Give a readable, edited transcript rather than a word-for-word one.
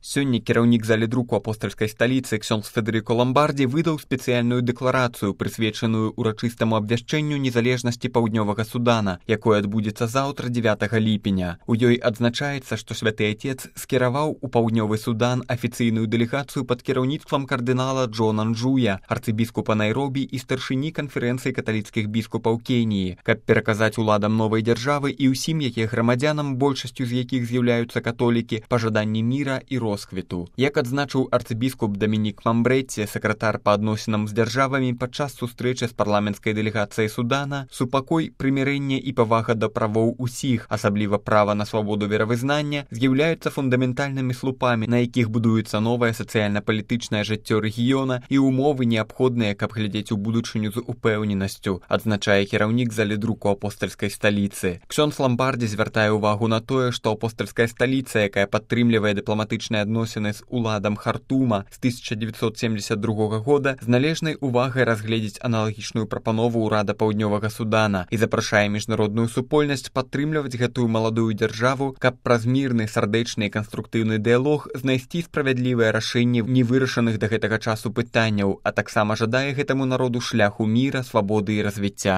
Сёння кіраўнік заледруку апостальскай сталіцы ксёндз Федэрыка Ламбардзі выдаў спецыяльную дэкларацыю, прысвечаную урачыстаму абвяшчэнню незалежнасці Паўднёвага Судана, якое адбудзецца заўтра 9 ліпеня. У ёй адзначаецца, што Святы Отец скіраваў у Паўднёвы Судан афіцыйную дэлегацыю пад кіраўніцтвам кардынала Джона Нджуя, арцыбіскупа Найробі і старшыні канферэнцыі каталіцкіх біскупаў Кеніі, каб пераказаць уладам новай дзяржавы і ўсім яе грамадзянам, большасцю з якіх з'яўляюцца католікі, пажаданні міра і росквіту. Як адзначыў арцыбіскуп Дамінік Мамбрэці, сакратар па адносінам з дзяржавамі, падчас сустрэчы з парламенцкай дэлегацыяй Судана, супакой, прымірэнне і павага да правоў усіх, асабліва права на свабоду веравызнання, з'яўляюцца фундаментальнымі слупамі, на якіх будуецца новае сацыяльна-палітычнае жыццё рэгіёна і ўмовы неабходныя, каб глядзець у будучыню з упэўненасцю, адзначае кіраўнік заледруку апостальскай сталіцы. Ксёндз Ламбардзі звяртае ўвагу на тое, што апостальская сталіца, якая падтрымлівае дыпламатычныя адносіны з уладам Хартума з 1972 года, з належнай увагай разгледзець аналагічную прапанову ўрада Паўднёвага Судана і запрашае міжнародную супольнасць падтрымліваць гэтую маладую дзяржаву, каб праз мірны, сардэчны і канструктыўны дыялог знайсці справядлівае рашэнне невырашаных да гэтага часу пытанняў, а таксама жадае гэтаму народу шляху міра, свабоды і развіцця.